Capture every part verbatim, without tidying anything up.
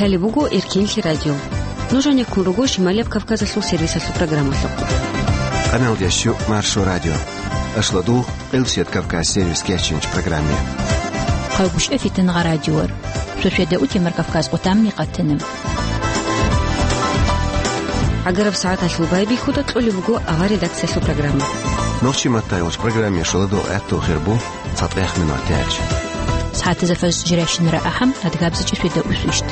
Лъалеб буго Эркенлъи радио. Нуж гьанеккун руго Шималияб Кавказалъул сервисалъул программалъухъ. Къаналдеш щу Маршо радио. Ашлодугъ, Къилсият Кавказ сервис кечинч программе. Хъагушев Фитнагъа радиор. Шошеда утемар Кавказ къутамни къатана. ГӀагараб сагӀаталъул байбихьуда кьолеб буго авар редакциялъул программа. Нохчи матаялъ программе шоладо гӀатту хирбу. ЦатӀех минут тяч. СагӀатазда фарз жирайщинара ахӀам, адгабзичӀи шведа усвищт.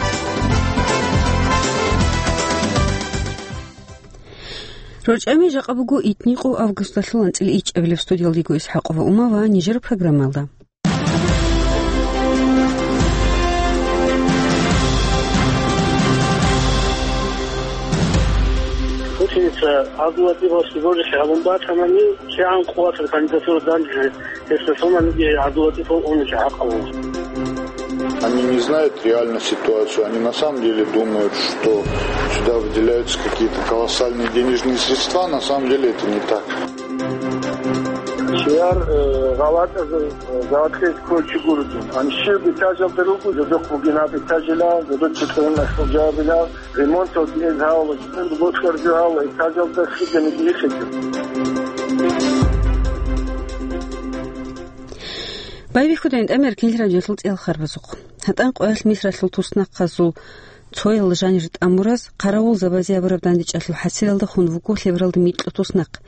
РорчӀами жакъа буго итникъо августалъул анцӀила ичӀабилеб. Студиялдего ИсхӀакъова Ума ва нижер программалда. Путиница Абдулатипов Сиборихе гьабун батанани, кигӀан къуватаб кандидатура данде Если суманиги гӀадула тӀибал уничи гӀакъалу. Они не знают реально ситуацию, они на самом деле думают, что сюда выделяются какие-то колоссальные денежные средства, на самом деле это не так. Чияр, э, гъалатӀазул, э, гъалатӀизе кколчи гурги. Ан щиб этажалда руго, жодохъ бугин гьаб этажила, жодор чутӀун ахӀулжабила. Ремонталги гьез гьавала, жинда бокьарги гьавала, этажалда хиданиги ихиги. Байбихьуда гӀинтӀамер кинил радиолъул цӀел харбазухъ. ГьатӀан къоялъ Мисралъул туснахъазул цоял жанир тӀамураз, хъаравулзабазе абураб дандечӀалъул хӀасилалда хун вуго лъебералда микьу туснахъ.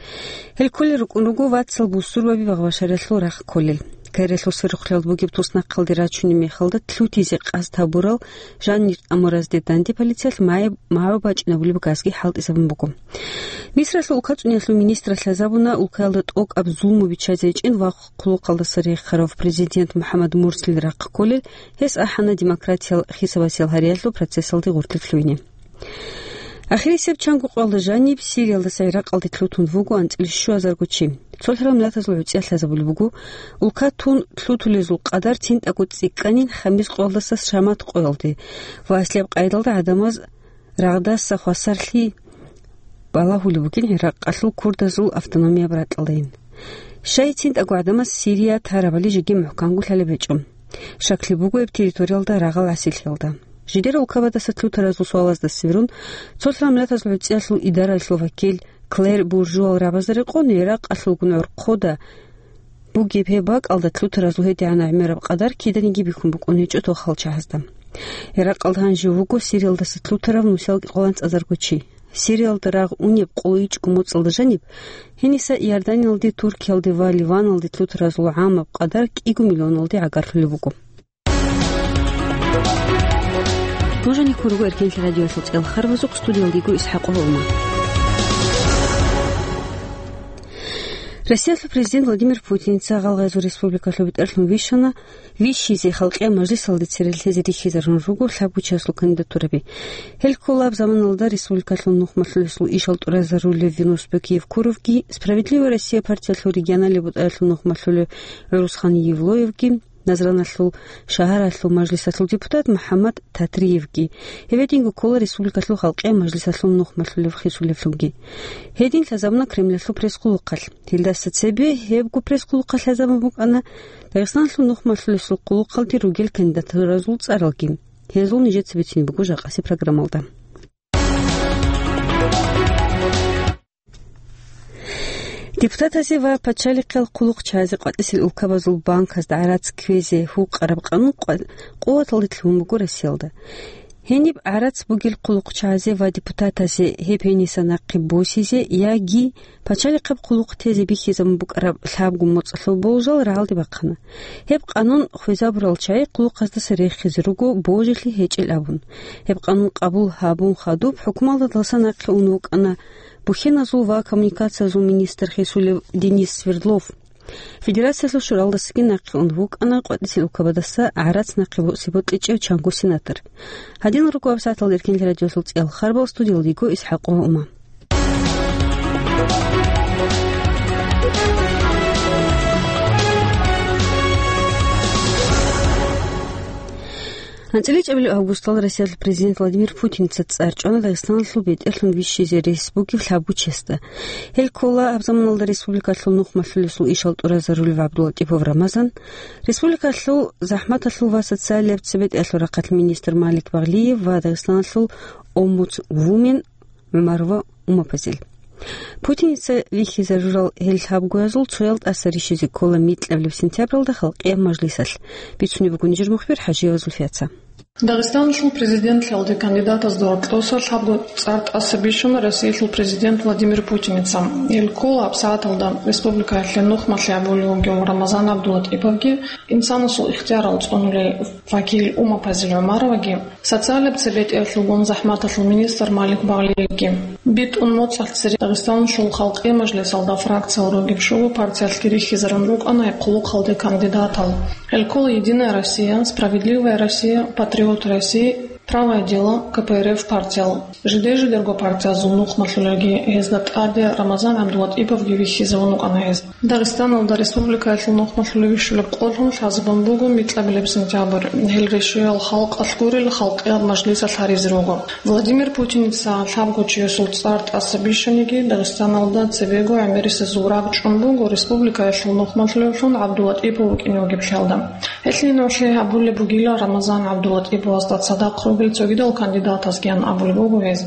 Гьел кколел рукӀун руго вацал бусурбаби багъбашаралъул рахъ кколел. Кайралъул сверухълъиялда бугеб туснахъалде рачунеб мехалда лъутизе къасд гьабурал жанир тӀамуразде данде полициялъ магӀу-, магӀу бачӀинабулеб газги хӀалтӀизабун буго. Мисралъул улкацӀуниялъул министралъ лъазабуна улкаялда тӀокӀаб зулму биччазе гьечӀин ва хъулухъалдаса рехарав президент МухӀаммад Мурсил рахъ кколел, гьес ахӀана демократиял хисабасел гьариялъул процессалде гъуркьлъи лъугьине. Ахирисеб чанго къоялда жаниб Сириялдаса ГӀиракъалде лъутун вуго анцӀила щуазарго чи. Цолъараб миллатазул гӀуцӀиялъ лъазабулеб буго, улка тун лъутулезул къадар цинтӀаго цӀикӀкӀанин хамис къоялдаса Шамат къоялде ва аслияб къайдалда гӀадамаз рагъдаса хвасарлъи балагьулеб бугин ГӀиракъалъул курдазул автономияб ракьалдайин. Щай цинтӀаго гӀадамаз Сирия тарабали жеги мухӀканго лъалеб гьечӀо. Щаклъи буго гьеб территориялда рагъал гӀасилъиялда. Жидер улкабадаса лъутаразул суалазда сверун, цолъ рамлатазул гӀуцӀиялъул идаралъул вакил Клэр Буржуал рабазда рекъон, ГӀиракъалъулгун гӀорхъода бугеб гьеб бакӀалда лъутаразул гьедигӀан гӀемераб къадар киданиги бихьун букӀун гьечӀо тохал чагьазда. ГӀиракъалда гьанже вуго Сириялдаса лъутарав нусиялги къоланцӀазарго чи. Сириялда рагъ унеб къо ичӀго моцӀалда жаниб, гьениса Иорданиялде, Туркиялде ва Ливаналде лъутаразул гӀамаб къадар кӀиго миллионалде гӀагарлъулеб буго. Нуж гьанеккун руго Эркенлъи радиоялъул цӀел харбазухъ, студиялдего ИсхӀакъова Ума. Россиялъул президент Владимир Путинца Гъалгъайзул республикалъул бетӀерлъун вищана, вищизе халкъиял мажлисалде цере лъезе рихьизарун руго лъабго чиясул кандидатураби. Гьел кколаб заманалда республикалъул нухмалъулесул ишал тӀуразарулев Венусбек Евкуровги, «Справедливая Россия» партиялъул регионалияб бутӀаялъул нухмалъулев ГӀурусхан Евлоевги, Назраналъул шагьаралъул мажлисалъул депутат МухӀаммад Татриевги, гьеб гьединго ккола республикалъул халкъиял мажлисалъул нухмалъулев хисулевлъунги. Гьедин лъазабуна Кремльалъул пресс-къулухъалъ. Гьелдаса цебе гьебго пресс-къулухъалъ лъазабун букӀана Дагъистаналъул нухмалъулесул къулухъалде ругел кандидатуразул цӀаралги. Гьезул нижеца бицине буго жакъаси программалда. Депутатазе ва пачалихъал хъулухъчагӀазе къватӀисел улкабазул банказда гӀарац кквезе гьукъараб къанун къва-, къуваталде лъугьун буго Россиялда. Гьениб гӀарац бугел хъулухъчагӀазе ва депутатазе гьеб гьениса нахъе босизе яги пачалихъаб хъулухъ тезе бихьизабун букӀараб лъабго моцӀалъул болжал рагӀалде бахъана. Гьеб къанун хвезабурал чагӀи хъулухъаздаса рехизе руго божилъи гьечӀел абун. Гьеб къанун къабул гьабун хадуб, хӀукумалда далса нахъе ун вукӀана бухьеназул ва коммуникациязул министр хисулев Денис Свердлов. Федерациялъул шуралдасаги нахъе ун вукӀана къватӀисел улкабадаса гӀарац нахъе босизе бокьичӀев чанго сенатор. Гьадин руго гьабсагӀаталда Эркенлъи радиоялъул цӀел харбал, студиялдего ИсхӀакъова Ума. ГьанцӀила чӀебилеб августалда Россиялъул президент Владимир Путиница цӀар чӀвана Дагъистаналъул бетӀерлъун вищизе рес бугеб лъабго чиясда. Гьел ккола гьаб заманалда республикалъул нухмалъулесул ишал тӀуразарулев ГӀабдуллатӀипов Рамазан, республикалъул захӀматалъул ва социалияб цебетӀералъул рахъалъ министр Малик Багълиев ва Дагъистаналъул омбудсвумен ГӀумарова Умапазил. Путиница вихьизарурал гьел лъабгоязул цоял тӀаса рищизе ккола микьабилеб сентябралда халкъияб мажлисалъ. Бицунеб буго нижер мухбир ХӀажиева Зульфияца. Дагъистаналъул президентлъиялде кандидатазда гьоркьоса лъабго цӀар тӀаса бищуна Россиялъул президент Владимир Путиница. Гьел ккола гьабсагӀаталда республикаялъе нухмалъи гьабулев вугев Рамазан ГӀабдулатӀиповги, инсанасул ихтиярал цӀунулей вакил Умапазил ГӀумароваги, социалияб цебетӀералъулгун захӀматалъул министр Малик Багълиевги. БитӀун моцӀалъ цере Дагъистаналъул халкъи мажлисалда фракциял ругеб щуго партиялъги рихьизарун рукӀана гьеб хъулухъалде кандидатал. Гьел ккола «Единая Россия», «Справедливая Россия», «Патриоты России», «Правое дело», К П Р Ф партиял. Жиде-жидерго партиязул нухмалъулелги гьезда тӀаде Рамазан ГӀабдулатӀиповги вихьизавун вукӀана гьез. Дагъистаналда республикаялъул нухмалъулев вищулеб къолъун лъазабун буго микьабилеб сентябрь. Гьел рещтӀуял халкъалъ гурел халкъияб мажлисалъ гьаризе руго. Владимир Путиница лъабго чиясул цӀар тӀаса бищаниги, Дагъистаналда цебего гӀемерисезул рагӀ чӀун буго республикаялъул нухмалъулевлъун ГӀабдулатӀипов вукӀине вугеблъиялда. Гьелъие нугӀлъи гьабулеб бугила Рамазан ГӀабдулатӀиповасда цадахъ ругел цогидал кандидатазгиян абулеб буго гьез.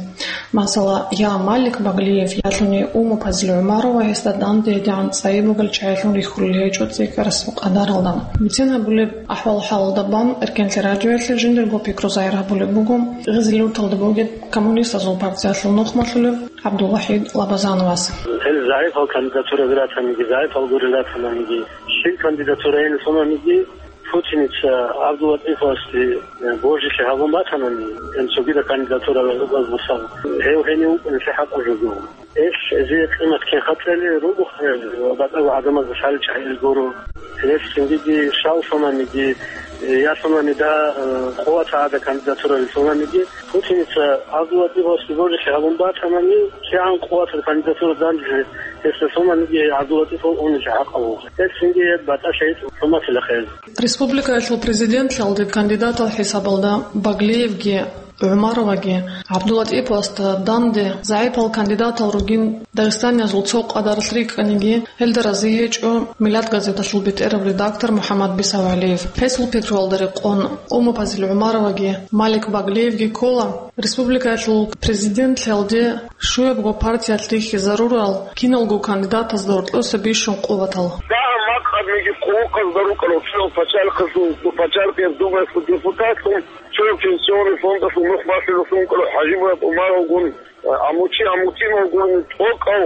Масала, я Малик Баглиев, ялъуни Умупазил ГӀумарова гьесда данде гьедигӀан цӀайи бугел чагӀилъун рихьулел гьечӀо цӀикӀкӀарасул къадаралда. Бицен гьабулеб ахӀвал-хӀалалда бан, Эркенлъи радиоялъе жиндирго пикру загьир гьабулеб буго Гъизил-Юрталда бугеб Коммунистазул партиялъул нухмалъулев ГӀабдулвахӀид Лабазановас. Гьел загӀипал кандидатураби ратаниги, загӀипал гурел ратананиги, щиб кандидатура гьел сонаниги, Путиница ГӀабдулатӀифовасде, э, божилъи гьабун батанани, гьел цогидал кандидатура гьезул баз босана. Гьев гьенив вукӀиналъе хӀакъаб жо буго. Гьелъ гьезие къимат кин хатӀали руго, э, батӀаго гӀадамазда лъалел чагӀи гуро. Гьелъ цинги щал сонаниги, э, я сонани да, э, къуват гӀада кандидатураби сонаниги, Путиница ГӀабдулатӀифовасде божилъи гьабун батанани, кигӀан къуватаб кандидатура данделъи гьесда сонаниги ГӀабдулатӀифов унелъе хӀакъаб буго. Гьелъ цинги гьеб батӀалъи гьечӀо, хӀурматила хъел. Республикаялъул президентлъиялде кандидатал хӀисабалда Баглиевги ГӀумароваги ГӀабдулатӀиповасда данде загӀипал кандидатал ругин дагъистаниязул цо къадаралъ рикӀкӀаниги, гьелда рази гьечӀо Миллат газеталъул бетӀерав редактор МухӀаммад БисавгӀалиев. Гьесул пикруялда рекъон, Умупазил ГӀумароваги Малик Баглиевги ккола республикаялъул президентлъиялде щуябго партиялъ рихьизарурал киналго кандидатазда гьоркьоса бищун къуватал. Дагьаб макъамниги къуллукъазда рукӀарал цоял пачалихъалъул, пачалихъияб думаялъул депутатлъун, цоял пенсионный фондалъул нухмалъулевлъун вукӀарав ХӀажимурад Умаровгун, Амути Амутиновгун, тӀокӀав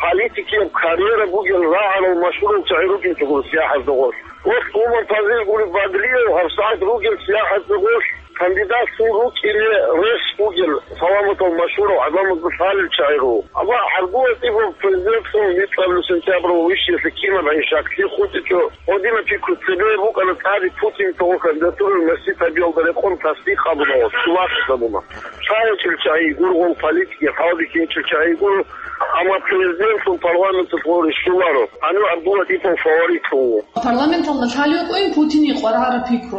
политикияб карьера бугел рагӀарал машгьурал чагӀи рукӀинчӀого сияхӀазда гъорлъ. Гъорлъ Умупазил гуреб Баглиев гьабсагӀат ругел сияхӀазда гъорлъ кандидатцун рукӀине рес бугел саламатал машгьурав гӀадамазда лъалел чагӀи руго. Амма ГӀабдулатӀипов президентлъун микьабилеб сентябралда вищиялъе кинаб гӀин щаклъи хутӀичӀо, гьединаб пикру цебе букӀана тӀаде Путинцаго кандидатурал месед гьабиялда рекъон тасдикъ гьабуна ва цо вахъ гьабуна. Цо гьечӀел чагӀи гуро, гъол политикияб хӀалбихьи гьечӀел чагӀи гуро, амма президентлъун парламенталъ гъол рещтӀуларо. Гьанив ГӀабдулатӀипов фаворитлъун вуго. Парламенталда лъалев вукӀин Путине къваригӀараб пикру.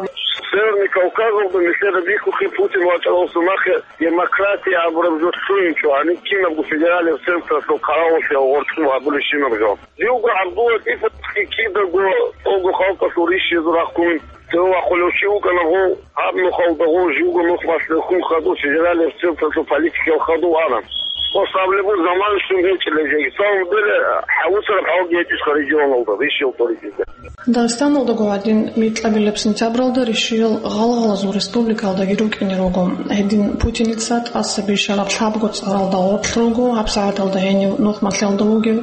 Северный Кавказалда нилъеда бихьухъе Путин вачӀаралдаса нахъе демократия абураб жо лъугьинчӀо, гьаниб кинабго федералияб централъул хъаравуллъиялъ гъоркьоб гьабулебщинаб жо. Живго ГӀабдулатӀиповги кидаго цого халкъалъул рищизе рахъун, цеве вахъулев чи вукӀана гъов, гьаб нухалда гъов живго нухмалъ рехун хадув федералияб централъул политикиял хадув ана. Ва саблебу заман щун гьечӀила жеги. Самом деле, хӀавуцараб хӀалги гьечӀищха регионалда, рищиялда рикӀкӀине. Дагъистаналдаго гьадин микьабилеб сентябралда рищиялъ гъалгъалазул республикаялдаги рукӀине руго. Гьедин Путиница тӀаса бищараб лъабго цӀаралда гъоркь руго, гьабсагӀаталда гьенив нухмалъиялда вугев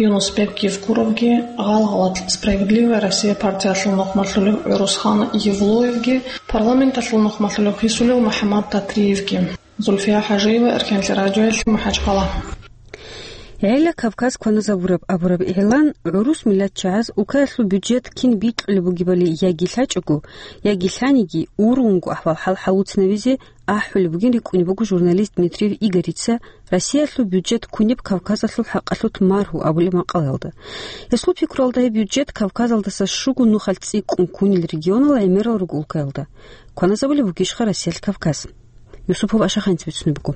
Юнусбек Евкуровги, гъалгъалалъ «Справедливая Россия» партиялъул нухмалъулев ГӀурусхан Евлоевги, парламенталъул нухмалъулев хисулев МухӀаммад Татриевги. Зульфия ХӀажиева, Эркенлъи радиоялъ, МахӀачхъала. ГӀела Кавказ кваназабураб абураб игӀлан гӀурус миллатчагӀаз улкаялъул бюджет кин бикьулеб бугебали яги лъачӀого, яги лъаниги, ургъунго ахӀвал-хӀал гьавуцинабизе ахӀулеб бугин рикӀкӀунеб буго журналист Дмитриев Игорица Россиялъул бюджет кунеб Кавказалъул хӀакъалъулъ маргьу абулеб макъалаялда. Гьесул пикруялда, гьеб бюджет Кавказалдаса щуго нухалъ цӀикӀкӀун кунел регионал гӀемерал руго улкаялда. Кваназабулеб бугищха Россиялъ Кавказ? Юсупов Ашаханец бицунеб буго.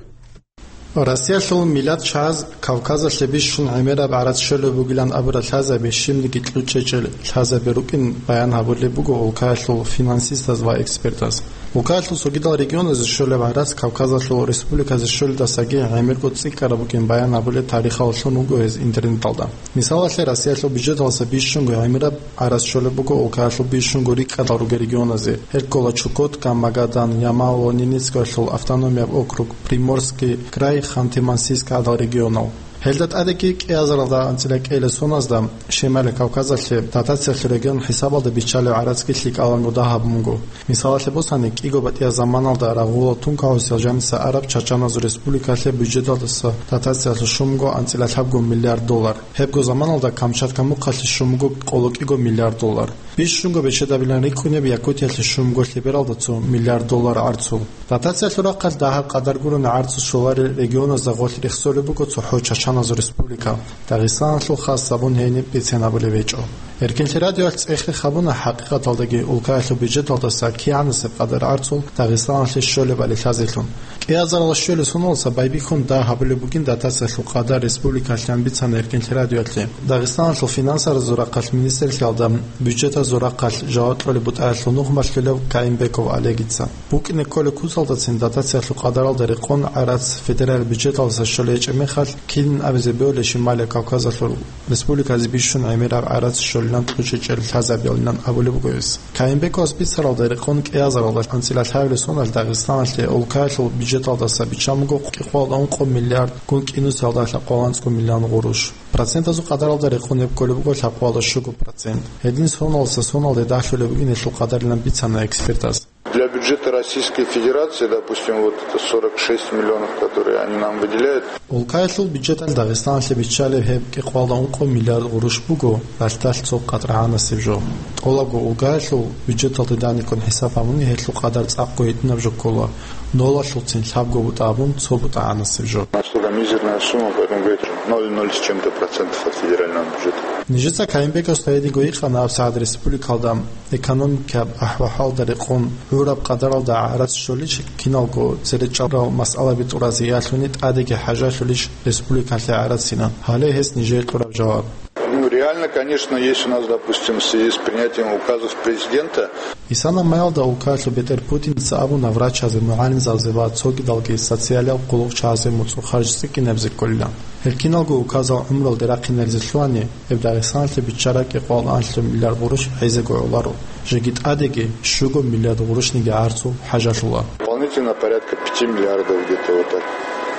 Россиялъул миллатчагӀаз Кавказалъе бищун гӀемераб гӀарац щолеб бугилан абурал лъазаби щибниги кьучӀечӀел лъазаби рукӀин баян гьабулеб буго улкаялъул финансистаз ва экспертаз. Улкаялъул цогидал регионазе щолеб гӀарац Кавказалъул республиказе щолелдасаги гӀемерго цӀикӀкӀараб букӀин баян гьабулеб тарихаллъун вуго гьез интернеталда. Мисалалъе, Россиялъул бюджеталдаса бищунго гӀемераб гӀарац щолеб буго улкаялъул бищунго рикӀкӀадал ругел регионазе, гьел ккола Чукотка, Магадан, Ямал ва Ненецкоялъул автономияб округ, Приморский край, Ханты-Мансийск гӀадал регионал. Гьелда тӀадеги кӀиазаралда анцӀила кӀиялде соназда Шималияб Кавказалъе дотациялъул регион хӀисабалда биччалеб гӀарацги лъикӀаланго дагьаб буго. Мисалалъе босани, кӀиго батӀияб заманалда рагъула тункагӀусиял жаниса араб чачаназул республикалъе бюджеталдаса дотациялъе щун буго анцӀила лъабго миллиард доллар. Гьебго заманалда Камчатка мухъалъе щун буго къоло кӀиго миллиард доллар. Бищунго бечедабилан рикӀкӀунеб Якутиялъе щун буго лъебералда цо миллиард доллар гӀарцул. Дотациялъул рахъалъ дагьаб къадар гурони гӀарцул щоларел регионазда гъорлъ рехсолеб буго цохӀо чачаназул республика. Дагъистаналъул хас гьабун гьениб бицен гьабулеб гьечӀо. Эркинлъи радиоялъ цӀехе гьабуна хӀакъикъаталдаги улкаялъул бюджеталдаса кигӀанасеб къадар гӀарцул Дагъистаналъе щолебали лъазелъун. КӀиазарал щуялъул соналдаса байбихьун дагь гьабулеб бугин дотациялъул къадар республикалъан бицана Эркинлъи радиоялъе. Дагъистаналъул финансазул рахъалъ министрлъиялда бюджетазул рахъалъ жаваб кьолеб бутӀаялъул нух малъулев Каимбеков Олегица. БукӀине кколеб куцалдацин дотациялъул къадаралда рекъон гӀарац федерал бюджеталдаса щолей гьечӀеб мехалъ, кинин абизе бегьулеб Шималияб Кавказалъул республиказе бищун гӀемераб гӀарац щолилан кьучӀечӀел лъазабиялилан абулеб буго гьес. Каимбековас бицаралда рекъон кӀиазаралда анцӀила лъабилеб соналъ Дагъистаналъе улкаялъул бюджеталдаса биччан буго кӀикъоялда ункъо миллиард, гун кӀинусиялда лъабкъоялда анцӀго миллион гъурущ. Процентазул къадаралда рекъон гьеб кколеб буго лъабкъоялда щуго процент. Гьедин соналдаса соналде дагьлъулеб бугин гьелъул къадарилан бицана экспертаз. Для бюджета Российской Федерации, допустим, вот это сорок шесть миллионов, которые они нам выделяют. Улкаялъул бюджеталъ Дагъистаналъе биччалеб гьеб кӀикъоялда ункъо миллиард гъурущ буго, ралъдалъ цо къатӀрагӀанасеб жо. ТӀолабго улкаялъул бюджеталде даниккун хӀисаб гьабуни гьелъул къадар цӀакъго гьитӀинаб жо ккола, нолалъулцин лъабго бутӀа абун цо бутӀагӀанасеб жо. Настолько мизерная сумма, поэтому говорит ноль ноль с чем-то процентов от федерального бюджета. Нижеца Каимбековасда гьединго гьикъана гьабсагӀат республикалда экономикаб ахӀвал-хӀалда рекъон гӀураб къадаралда гӀарац щолищ, киналго церечӀарал масъалаби тӀуразе ялъуни тӀадеги хӀажалъулищ республикалъе гӀарацинан. Гьале гьес нижее кьураб жаваб. Ну, реально, конечно, есть у нас, допустим, в связи с принятием указов президента. Исана маялда улкаялъул бетӀер Путиница абуна врачазе, мугӀалимзабазе ва цогидалги социалиял къуллукъчагӀазе муцӀул харж цӀикӀкӀинабизе кколилан. Гьел киналго указал гӀумруялде рахъинаризе лъугьани, гьеб Дагъистаналъе биччараб кӀикъоялда анлъго миллиард гъурущ гӀезего гӀоларо, жеги тӀадеги щуго миллиард гъурущниги гӀарцул хӀажалъула. Дополнительно порядка пяти миллиардов где-то вот так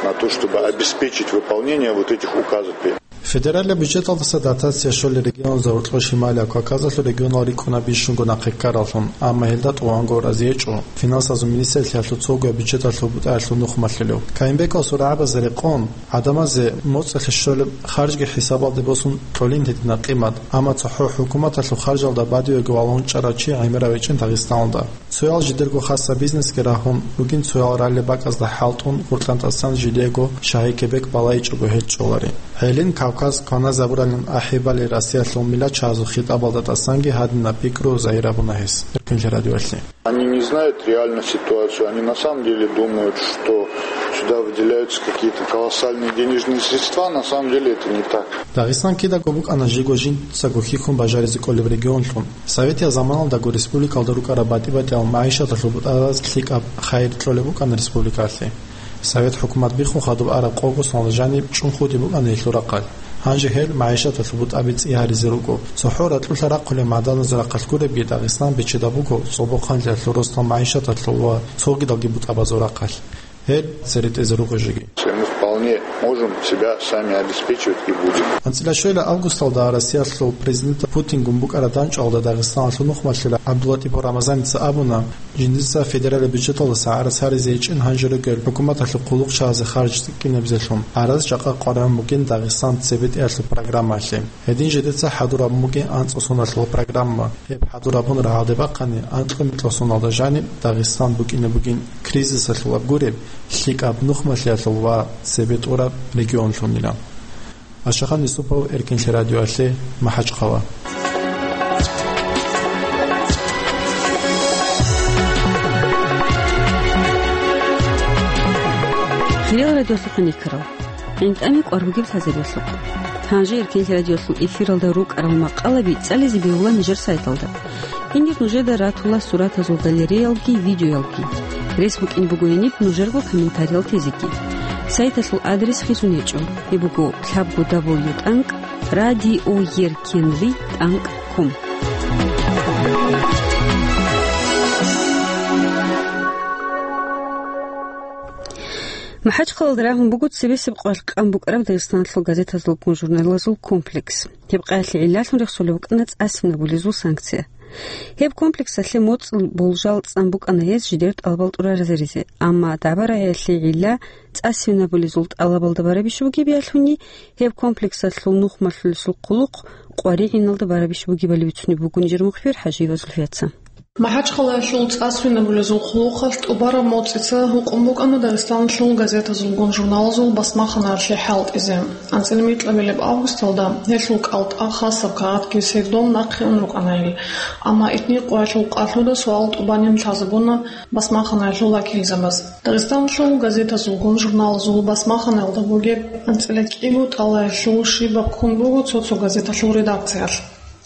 на то, чтобы обеспечить выполнение вот этих указов. Федералияб бюджеталдаса дотация щолел регионазда гьоркьор Шималияб Кавказалъул регионал рикӀкӀуна бищунго нахъе ккараллъун, амма гьелда тӀуванго рази гьечӀо финансазул министрлъиялъул цогояб бюджеталъул бутӀаялъул нух малъулев. Каимбековас рагӀабазе рекъон, гӀадамазе моцӀалъе щолеб харжги хӀисабалде босун кьолин гьединаб къимат, амма цохӀо хӀукуматалъул харжалда бадибего валагьун чӀарав чи гӀемерав гьечӀин Дагъистаналда. Цоял жидерго хасаб бизнесги рагьун ругин, цоял ралли бакӀазда хӀалтӀун гъоркьан тӀасан жидеего шагьи-кебек балайчӀого гьел чӀолари. Гьелин Кавказ кваназабуралин ахӀи балей Россиялъул миллатчагӀазул хитӀабалда тӀасанги гьадинаб пикру загьир гьабуна гьес Эркинлъи радиоялъе. Они не знают реально ситуацию, они на самом деле думают, что сюда выделяются какие-то колоссальные денежные средства, на самом деле это не так. Дагъистан кидаго букӀана жиго жинцаго хьихьун бажаризе кӀолеб регионлъун. Советиял заманалдаго республикалда рукӀараб батӀи-батӀиял магӀишаталъул бутӀараз лъикӀаб хайир кьолеб букӀана республикалъе. Совет хӀукумат биххун хадуб араб къого соналда жаниб чӀун хутӀи букӀана гьелъул рахъалъ. Гьанже гьел магӀишаталъул бутӀаби цӀи гьаризе руго. ЦохӀо ракьулъа рахъулеб магӀаданазул рахъалъ гуребги, Дагъистан бечедаб буго цӀобохъанлъиялъул, росдал магӀишаталъул ва цогидалги бутӀабазул рахъалъ. Гьел цере тӀезе руго жеги. Мы вполне Можем себя сами обеспечивать и будем. АнцӀила щвела августалда Россиялъул президент Путингун букӀараб дандчӀвалда Дагъистаналъул нухмалъила ГӀабдуллатӀипов Рамазаница абуна, жиндица федералияб бюджеталдаса гӀарац гьаризе гьечӀин гьанже ругел хӀукуматалъул хъулухъчагӀазе харж цӀикӀкӀинабизелъун. ГӀарац жакъа къваригӀун бугин Дагъистан цебетӀиялъул программаялъе. Гьедин жидеца хӀадур гьабун бугин анцӀго соналъул программа. Гьеб хӀадур гьабун рагӀалде бахъани, анкьго микьго соналда жаниб Дагъистан букӀине бугин кризисалъул аб гуреб, лъикӀаб нухмалъиялъул ва цебетӀураб регионлъунила. Ашахан Юсупов, Эркинлъи радиоялъе, МахӀачхъала. Хириял радиолъухъ никарал. ГӀинтӀами кӀвар бугеб лъазабиялъухъ. Гьанже Эркинлъи радиолъул эфиралда рукӀарал макъалаби цӀализе бегьула нижер сайталда. Гьенир нужеда ратула суратазул галереялги, видеоялги. Рес букӀин буго гьениб нужерго комментариял тезеги. Сайталъул адрес хисун гьечӀо. Гьеб буго лъабго дабл ю тӀанкӀ радиоеркинли тӀанкӀ ком. МахӀачхъалалда рагьун буго цебесеб къвалъ къан букӀараб Дагъистаналъул газетазулгун журналазул комплекс. Гьеб къаялъе гӀиллалъун рехсолеб букӀана цӀасинабулезул санкция. Гьеб комплексалъе моцӀ болжал цӀан букӀана гьез жидер тӀалабал тӀураразаризе, амма дагӀба-рагӀиялъе гӀилла цӀасинабулезул тӀалабалда барабищ бугебиялъуни, гьеб комплексалъул нухмалъулесул хъулухъ къваригӀиналда барабищ бугебали бицунеб буго нижер мухбир ХӀажиева Зульфияца. МахӀачхъалаялъул цӀасвинабулезул хъулухъалъ тӀубараб моцӀица гьукъун букӀана Дагъистаналъул газетазулгун журналазул басмаханаялъе хӀалтӀизе. АнцӀила микьабилеб августалда гьелъул кӀалтӀа хасаб кагъатги свердон нахъе ун рукӀана гьел. Амма итни къоялъул къалъуда суал тӀубанин лъазабуна басмаханаялъул вакилзабаз. Дагъистаналъул газетазулгун журналазул басмаханаялда бугеб анцӀила кӀиго тӀалаялъул щибаб ккун буго цо-цо газеталъул редакциялъ.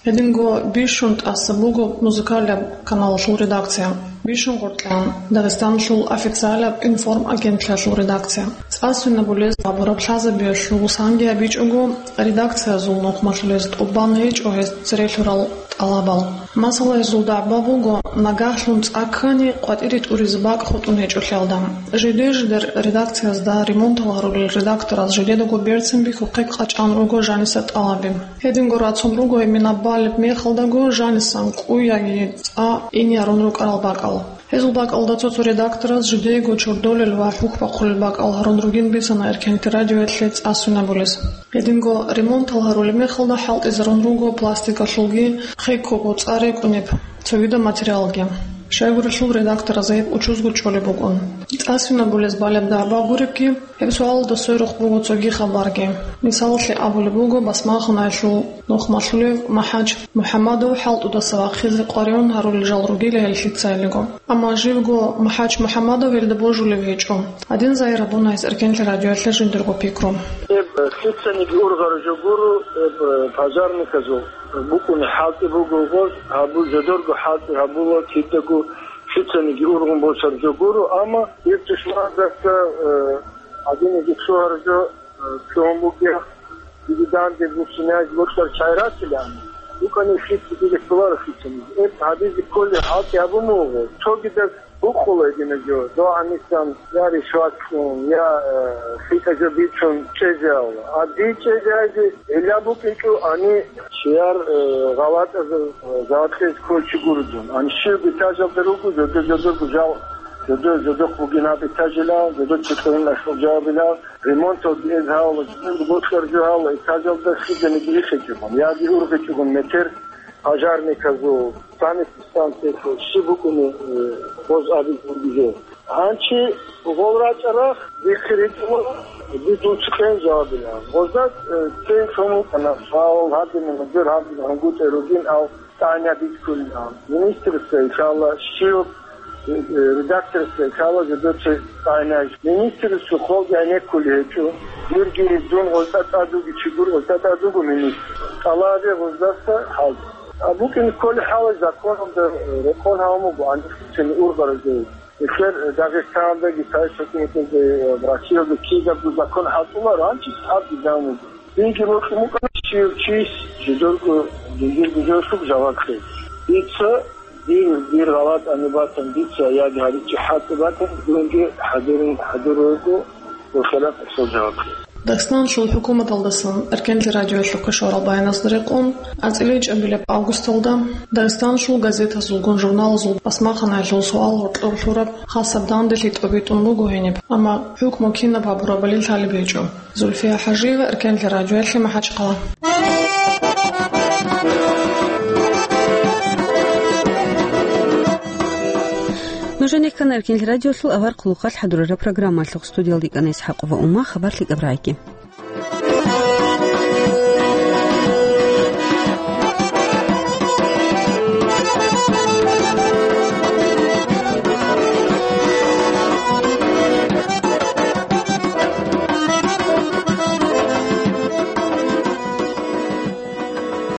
Гьединго бищун тӀаса буго музыкалияб каналалъул редакция, бищун гъоркьан Дагъистаналъул официалияб информагентлъиялъул редакция. ЦӀасвинабулез гьабураб лъазабиялъул санги гьабичӀого, редакциязул нухмалъулез тӀубан гьечӀо гьез церелъурал тӀалабал. Масала, гьезул дагӀба буго, нагагьлъун цӀа ккани, къватӀире тӀуризе бакӀ хутӀун гьечӀолъиялда. Жиде-жидер редакциязда ремонтал гьарулел редактораз жидедаго берцин бихьухъе къачӀан руго жаниса тӀалаби. Гьединго рацун руго гьеб минаб балеб мехалдаго жанисан кӀу яги цӀа ине гьарун рукӀарал бакӀал. Гьезул бакӀалда цо-цо редактораз жидеего чордолел ва хӀухь бахъулел бакӀал гьарун ругин бицана Эркинлъи радиоялъе цӀасвинабулез. Гьединго ремонтал гьарулеб мехалда хӀалтӀизарун руго пластикалъулги, хеккого цӀа рекӀунеб цогидаб материалги. Щайгурелъул редактораз гьеб учузго чӀолеб букӀун. ЦӀасвинабулез балеб дагӀба гуребги, гьеб суалалда сверухъ буго цоги хабарги. Мисалалъе абулеб буго, басмаханаялъул нухмалъулев МахӀач МухӀамадов хӀалтӀудаса вахъизе къваригӀун гьарулел жал ругила гьел лъицайилиго. Амма живго МахӀач МухӀамадов гьелда божулев гьечӀо. Гьадин загьир гьабуна гьес Эркинлъи радиоялъе жиндирго пикру. Гьеб лъицаниги ургъараб жо гуро, гьеб пожарниказул букӀуни хӀалтӀи буго гъоз, гьабу-, жодорго хӀалтӀи гьабула, кидаго лъицаниги ургъун босараб жо гуро, амма гьеб тушмандаса, э, гьадинаги лъугьараб жо, э, лъугьун бугеб, диги данде бухьиназе бокьараб чагӀи ратилаан, букӀани лъица дида кколаро лъицаниги. Гьеб гьабизе кколеб хӀалтӀи гьабун буго. Цогидаз букъула гьединаб жо, догӀанисан я ришват кьун, я, э, лъикӀаб жо бицун чӀезеяла. А дие чӀезеязе гӀилла букӀинчӀо, гьаниб чияр, э, гъалатӀазул, э, жаваблъиялъе кколев чи гуро дун. Гьаниб щиб этажалда руго, жодор-жодорго жал, жодор-жодохъ бугин гьаб этажилан, жодор цо кьурин ашул жавабилан, ремонталги эз гьавала, жодорго бокьараб жо гьавала, этажалда лъизаниги рихичӀогун, яги ургъичӀогун метр пожарниказул, санэпидстанциялъул, щиб букӀуни, э, гъоз абизе бугеб жо. Гьанчи гъол рачӀарахъ дихъе ритӀула, би дун цӀикӀкӀун жавабилан. Гъозда, э, цен лъун вукӀана, суал гьабилан, гьудур гьабилан, гьунгутӀе ругин, ав тӀагӀинаб бихьулилан. Министрасда, иншалла, щиб, э, редакторасда, иншалла, жодоца тӀагӀинай. Министрасул холги гӀенеккулеб гьечӀо. Дирги дун гъозда тӀад вугев чи гуро, гъозда тӀад вуго министр. ТӀалабе гъоздаса хӀал. А букӀин кколеб хӀалалъ законалда, э, рекъон гьавун буго, гьанже лъицани ургъараб жо. Нилъер Дагъистаналдаги, цайс хӀукуматалда, Россиялда кидабго закон хӀалтӀуларо, гьанчи гьаб дигӀан вуго. Динги бокьун букӀана, щив чияс жидерго, жиндирго жоялъул жаваб кьезе. Дица, дир, дир гъалатӀани батани, дица яги гьаричӀи хӀалтӀи батани, дунги хӀадурун, хӀадур руго, Дагъистаналъул хӀукуматалдасан Эркенлъи радиоялъухъе щварал баяназда рекъон, анцӀила ичӀабилеб августалда Дагъистаналъул газетазулгун журналазул басмахъанаялъул суал гьоркьор лъураб хасаб данделъи тӀобитӀун буго гьениб, амма хӀукму кинаб гьабурабали лъалеб гьечӀо. Зульфия ХӀажиева, Эркенлъи радиоялъе, МахӀачхъала. Нужеца ккана Эркенлъи радиолъул авар хъулухъалъ хӀадурараб программалъухъ. Студиялда ккана ИсхӀакъова Ума. Хабар лъикӀаб рагӀиги.